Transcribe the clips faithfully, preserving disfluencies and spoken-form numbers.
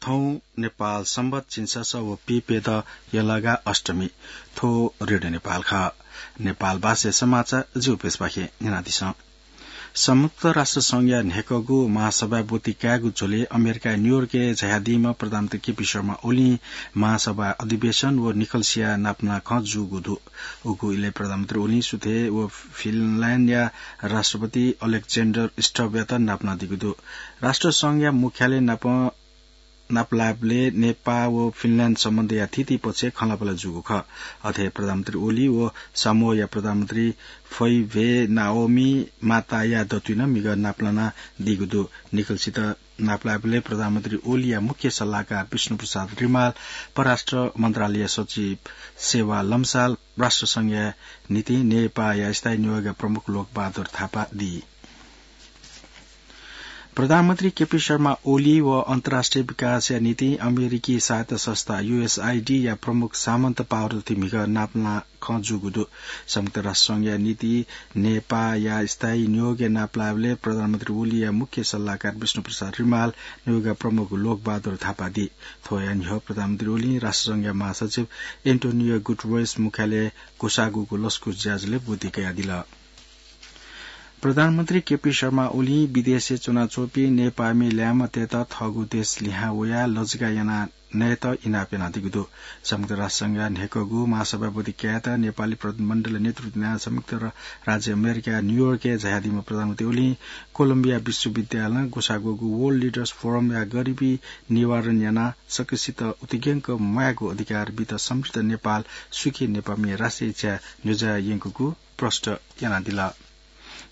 थौं नेपाल संवत झिंछसः व पीप्यदँ यलगा अष्टमी। थ्व रेडियो नेपाल खः। नेपाल भाषाय् समाचार जिगु प्रेसपाखें न्यनादिसँ। संयुक्त राष्ट्र संघया न्हय्कःगु महासभाय् ब्वति कायेगु झ्वलय् अमेरिकाया न्यूयोर्कय् झायादीम्ह प्रधानमन्त्री केपी शर्मा ओलीं महासभा अधिवेशन व निखलसिया नापना खँ जूगु दु। उगु इलय् प्रधानमन्त्री ओलीं सुथय् व फिनल्याण्डया राष्ट्रपति अलेक्जेन्डर स्टबयात नापना दीगु दु। राष्ट्र संघया मुख्यालय नाप नापलायेबलय् नेपाः व फिनल्याण्ड सम्बन्धया थीथी पक्षय् खँल्हाबल्हा जूगु खः। अथे प्रधानमन्त्री ओली व सामोया प्रधानमन्त्री फैभेनाओमी माताया दथुइ नं म्हिगः नापलाना दीगु दु। निखलसित नापलायेबलय् प्रधानमन्त्री ओलीया मुख्य सल्लाहकार विष्णुप्रसाद रिमाल, परराष्ट्र मन्त्रालय सचिव सेवा लम्साल, राष्ट्र संघया निंतिं नेपाःया स्थायी नियोगया प्रमुख लोकबहादुर थापा दी। प्रधानमन्त्री केपी शर्मा ओली व अन्तर्राष्ट्रिय विकासया निंतिं अमेरिकी सहायता संस्था यूएसआईडी या प्रमुख सामन्त पावर दथुइ म्हिगः नापलाना खँ जूगु दु। संयुक्त राष्ट्र संघया निंतिं नेपाःया स्थायी नियोगय् नापलायेबलय् प्रधानमन्त्री ओलीया मुख्य सल्लाहकार विष्णुप्रसाद रिमाल, नियोगया प्रमुख लोकबहादुर थापा दी। थ्वया न्ह्यः प्रधानमन्त्री ओलीं राष्ट्र संघया महासचिव एन्टोनियो गुटरेस मुख्यालय ग्वसाःगुगु लसकुस ज्याझ्वलय् ब्वति कयादिल। प्रधानमन्त्री केपी शर्मा ओलीं विदेशय् च्वनाच्वंपिं नेपाःमि ल्याय्म्हतय्त थःगु देश लिहां वयाः लजगाः याना नयेत इनाप यानादीगु दु। संयुक्त राष्ट्र संघया न्हय्कःगु महासभाय् ब्वति कायेत नेपाली प्रतिनिधिमण्डलया नेतृत्व यानाः संयुक्त र-, राज्य अमेरिकाया न्यूयोर्कय् झायादीम्ह प्रधानमन्त्री ओलीं कोलम्बिया विश्वविद्यालयं ग्वसाः ग्वःगु World Leaders Forumया गरिबी निवारण यानाः सकसित उतिग्यंक म्वायेगु अधिकार बीत समृद्ध नेपाल सुखी नेपाःमि राष्ट्रिय इच्छा न्ह्यज्याः यंकूगु प्रष्ट यानादिल।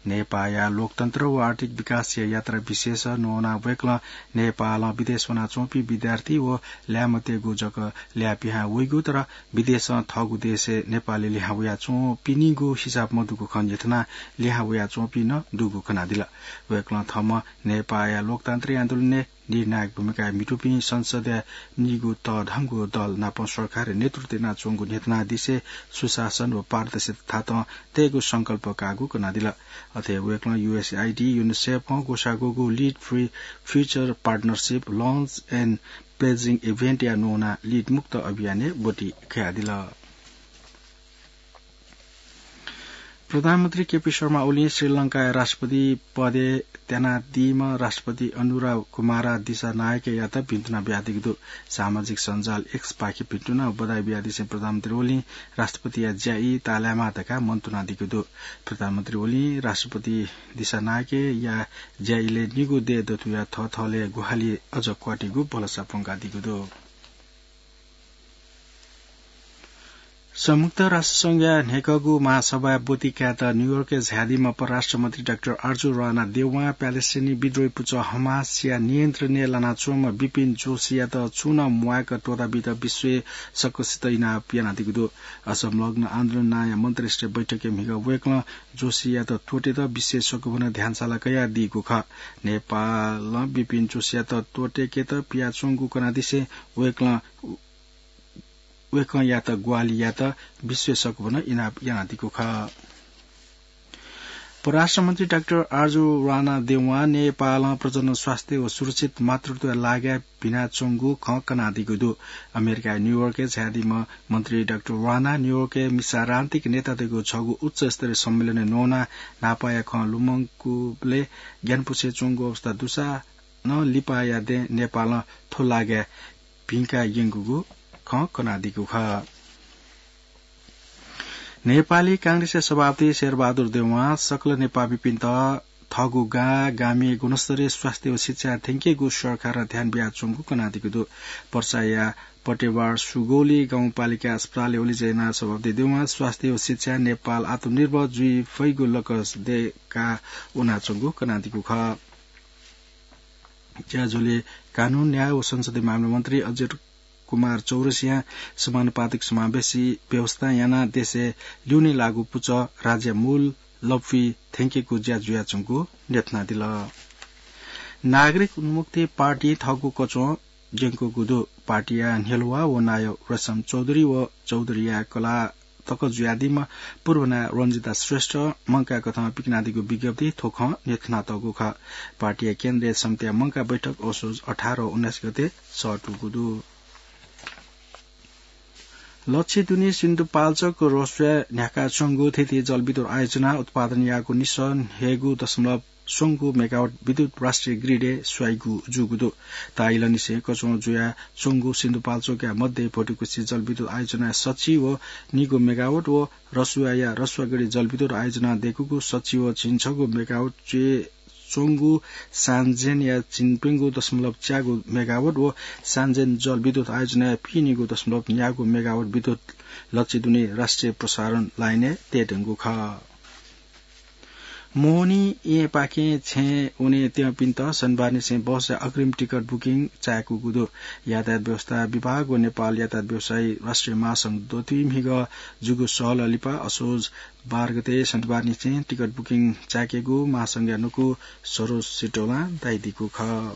नेपाःया लोकतन्त्र व आर्थिक विकासया यात्रा विशेष न्ववानाः वय्कलं नेपालं विदेश वनाच्वंपिं विद्यार्थी व ल्याय्म्हतय्गु जक ल्याः पिहां वइगु, तर विदेशं थःगु देशय् नेपालय् लिहां वयाच्वंपिनिगु हिसाब मदुगु खँ न्ह्यथनाः लिहां वयाच्वंपिं नं दुगु कनादिल। वय्कलं थःम्हं नेपाःया लोकतान्त्रिक आन्दोलनय् निर्णायक भूमिकाय् म्हितूपिं संसदया निगू तःधंगु दल नाप सरकारय् नेतृत्व यानाच्वंगु न्ह्यथनादिसें सुशासन व पारदर्शिता थातं तयेगु संकल्प काःगु कनादिल। अथे वय्कलं यूएसआईडी, युनिसेफं ग्वसाः ग्वःगु Lead for Future Partnership Launch and Pledging Eventया न्ववानाः लीडमुक्त अभियानय् ब्वति कयादिल। प्रधानमन्त्री केपी शर्मा ओलीं श्रीलंकाया राष्ट्रपति पदय् त्यानादीम्ह राष्ट्रपति अनुरा कुमारा दिसानायकयात भिन्तुना बियादीगु दु। सामाजिक सञ्जाल X पाखे भिन्तुना व बधाई बियादिसें प्रधानमन्त्री ओलीं राष्ट्रपतिया ज्याइ ताःलायेमाः धकाः मन्तुनादीगु दु। प्रधानमन्त्री ओलीं राष्ट्रपति दिसानायकया ज्याइलय् निगू देय् दथुया थःथलय् ग्वाहालि अझ क्वातीगु भलसा प्वंकादीगु दु। संयुक्त राष्ट्र संघया न्हय्कःगु महासभाय् ब्वति कायेत न्यूयोर्कय् झायादीम्ह परराष्ट्र मन्त्री डाक्टर आर्जु राणा देवां प्यालेस्टिनी विद्रोही पुचः हमासया नियन्त्रणय् लानाच्वंम्ह बिपिन जोशीयात छुं नं म्वायेक त्वःताबीत विश्वय् सकसित इनाप यानादीगु दु। असंलग्न आन्दोलन नांया मन्त्रीस्तरीय बैठकय् म्हिगः वय्कलं जोशीयात त्वःतेत विश्वय् सकभनं ध्यानसाला कयादीगु खः। नेपालं बिपिन जोशीयात त्वःतेकेत पियाच्वंगु कनादिसें वय्कलं वय्कःयात ग्वाहालि यायेत विश्वय् सकभनं इनाप यानादीगु खः। परराष्ट्र मन्त्री डाक्टर आर्जु राणा देवां नेपालं प्रजन स्वास्थ्य व सुरक्षित मातृत्वया लागिं भिनाच्वंगु खँ कनादीगु दु। अमेरिकाया न्यूयोर्कय् झायादीम्ह मन्त्री डाक्टर राणा न्यूयोर्कय् मिसारान्तिक नेतातय्गु छगू उच्चस्तरीय सम्मेलनय् न्ववानाः न्हापाया खँ लुमंकूबलय् ग्यानापुसे च्वंगु अवस्था दुसा नं लिपाया दँय् नेपालं थ्व लागिं भिंका यंकूगु खँ कनादीगु खः। नेपाली कांग्रेसया सभापति शेरबहादुर देवां सकल नेपाःमिपिन्त थःगु गां गामय् गुणस्तरीय स्वास्थ्य व शिक्षा थ्यंकेगु सरकारं ध्यान बियाच्वंगु कनादीगु दु। पर्साया पटेवार सुगौली गाउँपालिका अस्पतालय् ओलिजय् यानाः सभापति देवां स्वास्थ्य व शिक्षाय् नेपाल आत्मनिर्भर जुइ फइगु लक्ष्य दय्काः वनाच्वंगु कनादीगु खः। ज्याझ्वलय् कानून, न्याय व संसदीय मामला मन्त्री अजय कुमार चौरसियां समानुपातिक समावेशी व्यवस्था यानाः देशय् ल्यूने लाःगु पुचः राज्यया मूल लँपुइ थ्यंकेगु ज्या जुयाच्वंगु न्ह्यथनादिल। नागरिक उन्मुक्ति पार्टी थःगु कच्वं ज्यंकूगु दु। पार्टीया न्ह्यलुवा व नायः रेशम चौधरी व चौधरीया कलाः तक जुयादीम्ह पूर्व नायः रञ्जिता श्रेष्ठ मंकाः कथं पिकनादीगु विज्ञप्ति थ्व खँ न्ह्यथनातःगु खः। पार्टीया केन्द्रीय समितिया मंकाः बैठक असोज अठार व उन्नाइस गते सःतूगु दु। लच्छि दुने सिन्धुपाल्चोक रसुवाय् न्ह्याकाच्वंगु थीथी जलविद्युत आयोजनां उत्पादन याःगु निसः न्हय्गू दशमलव स्वंगू मेगावाट विद्युत राष्ट्रिय ग्रिडय् स्वयागु जूगु दु। ताःहिलंनिसें कच्वं जुयाच्वंगु सिन्धुपाल्चोकया मध्ये भोटिकुछि जलविद्युत आयोजनाया सच्छि व निगू मेगावाट व रसुवाया रसुवागढी जलविद्युत आयोजनां दय्कूगु सच्छि व झिंछगू मेगावाट च्वय् च्वंगु सान्जेनया झिंप्यंगू दशमलव च्यागू मेगावाट व सान्जेन जलविद्युत आयोजनाया पीनिगू दशमलव न्यागू मेगावाट विद्युत लच्छि दुने राष्ट्रिय प्रसारण लाइनय् तयेधुंगु खः। मोहनी येँपाखें छेँय् वने त्यंपिन्त शनिबारनिसें बसया अग्रिम टिकट बुकिङ चाय्कूगु दु। यातायात व्यवस्था विभाग व नेपाल यातायात व्यवसायी राष्ट्रिय महासंघ दथुइ म्हिगः जूगु सहलह लिपा असोज बाह्र गते शनिबारनिसें टिकट बुकिङ चाय्केगु महासंघया न्हूकू सरोज सिटौलां धयादीगु खः।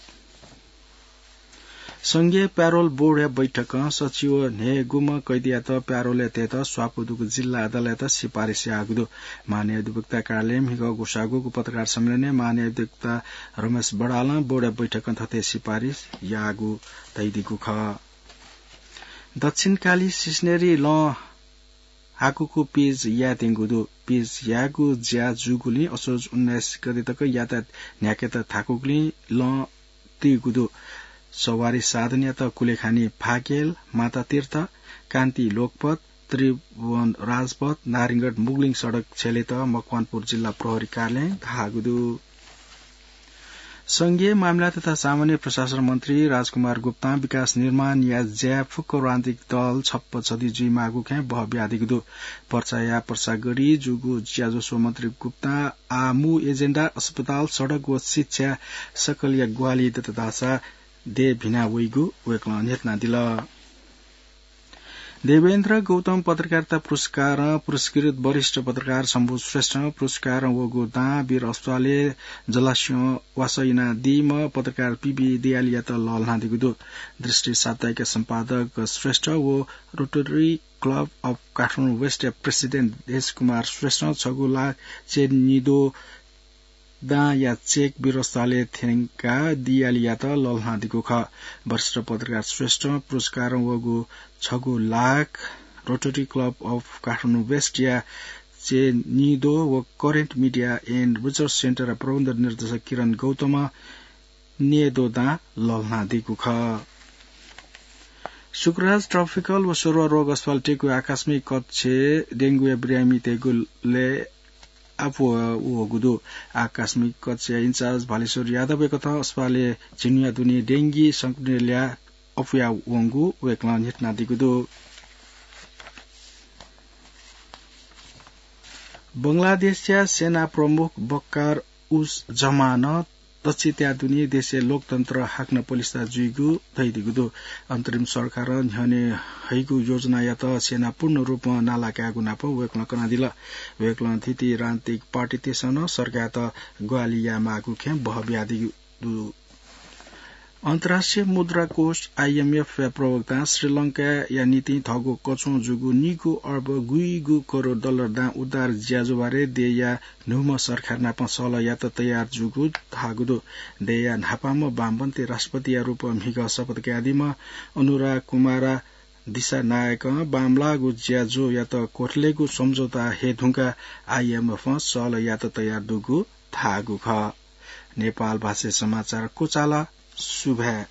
संघीय प्यारोल बोर्डया बैठकं सच्छि व न्हय्गुम्ह कैदीयात प्यारोलय् तयेत स्वापू दुगु जिल्ला अदालतयात सिफारिस याःगु दु। महान्यायाधिपतिया कार्यालयं म्हिगः ग्वसाःगु पत्रकार सम्मेलनय् महान्यायाधिपति रमेश बडालं बोर्डया बैठकं थथे सिफारिस याःगु धयादीगु खः। दक्षिणकाली सिसनेरी लँ हाकुगु पिच यायेत्यंगु दु। पिच यायेगु ज्या जूगुलिं असोज उन्नाइस गते तक यातायात न्ह्याकेत थाकुगुलिं लँ तीगु दु। सवारी साधनयात कुलेखानी फाकेल, मातातीर्थ, कान्ति लोकपथ, त्रिभुवन राजपथ, नारायणगढ मुगलिङ सडक छ्यलेत मकवानपुर जिल्ला प्रहरी कार्यालयं धाःगु दु। संघीय मामिला तथा सामान्य प्रशासन मन्त्री राजकुमार गुप्तां विकास निर्माणया ज्याय् फुक्क राजनीतिक दल छप्पा छधी जुइमाःगु खँय् बह बियादीगु दु। पर्साया पर्सागढी जूगु ज्याझ्वः स्वः मन्त्री गुप्तां आः मू एजेन्डा अस्पताल, सडक व शिक्षा सकलया ग्वाहालि दत धाःसा देय् भिना वइगु वय्कलं न्ह्यथनादिल। देवेन्द्र गौतम पत्रकारिता पुरस्कारं पुरस्कृत वरिष्ठ पत्रकार शम्भु श्रेष्ठं पुरस्कारं वःगु दां वीर अस्पतालय् जलास्यं वासः यानादीम्ह पत्रकार पीबी दयालीयात लःल्हानादीगु दु। दृष्टि साप्ताहिकया सम्पादक श्रेष्ठ व रोटरी क्लब अफ काठमाडौं वेस्टया प्रेसिडेन्ट देश कुमार श्रेष्ठं छगू लाख च्यानिद्वः दांया चेक वीर अस्पतालय् थ्यंकाः दयालीयात लःल्हानादीगु खः। वरिष्ठ पत्रकार श्रेष्ठं पुरस्कारं वःगु छगू lakh rotary club of Kathmandu वेस्टया च्यानिद्वः व करेन्ट मिडिया एन्ड रिसर्च सेन्टरया प्रबन्ध निर्देशक किरण गौतमं न्येद्वः दां लःल्हानादीगु खः। शुक्रराज ट्रपिकल व सरुवा रोग अस्पताल टेकुया आकस्मिक कक्षय् डेंगुया बिरामीतय्गु लँय् अप्वः वःगु दु। आकस्मिक कक्षया इन्चार्ज भालेश्वर यादवया कथं अस्पतालय् झिंन्हुया दुने डेंगी संक्रमित ल्याः अप्वया वंगु वय्कलं न्ह्यथनादीगु दु। बंगलादेशया सेना प्रमुख बक्कार उस जमानं दच्छि त्याः दुने देशय् लोकतन्त्र हाकनं पलिस्था जुइगु धयादीगु दु। अन्तरिम सरकारं न्ह्यःने हइगु योजनायात सेना पूर्ण रूपं नाला कायेगु नाप वय्कलं कनादिल। वय्कलं थीथी राजनीतिक पार्टीतय्सं नं सरकारयात ग्वाहालि यायेमाःगु खँय् बह बियादीगु दु। अन्तर्राष्ट्रिय मुद्रा कोष, आइएमएफ या प्रवक्तां श्रीलंकाया निंतिं थःगु कच्वं जूगु निगू अर्ब गुइगू करोड डलर दां उद्धार ज्याझ्वः बारे देय्या न्हूम्ह सरकार नाप सहलह यायेत तयार जूगु धाःगु दु। देय्या न्हापांम्ह वामपन्थी राष्ट्रपतिया रूपं म्हिगः शपथ कयादीम्ह अनुरा कुमारा दिसानायकं बांमलाःगु ज्याझ्वःयात क्वथलेगु सम्झौता हये धुंकाः आइएमएफं सहलह यायेत तयार दुगु धाःगु खः। नेपाल भाषाय् समाचार क्वचाल। सुभाय्।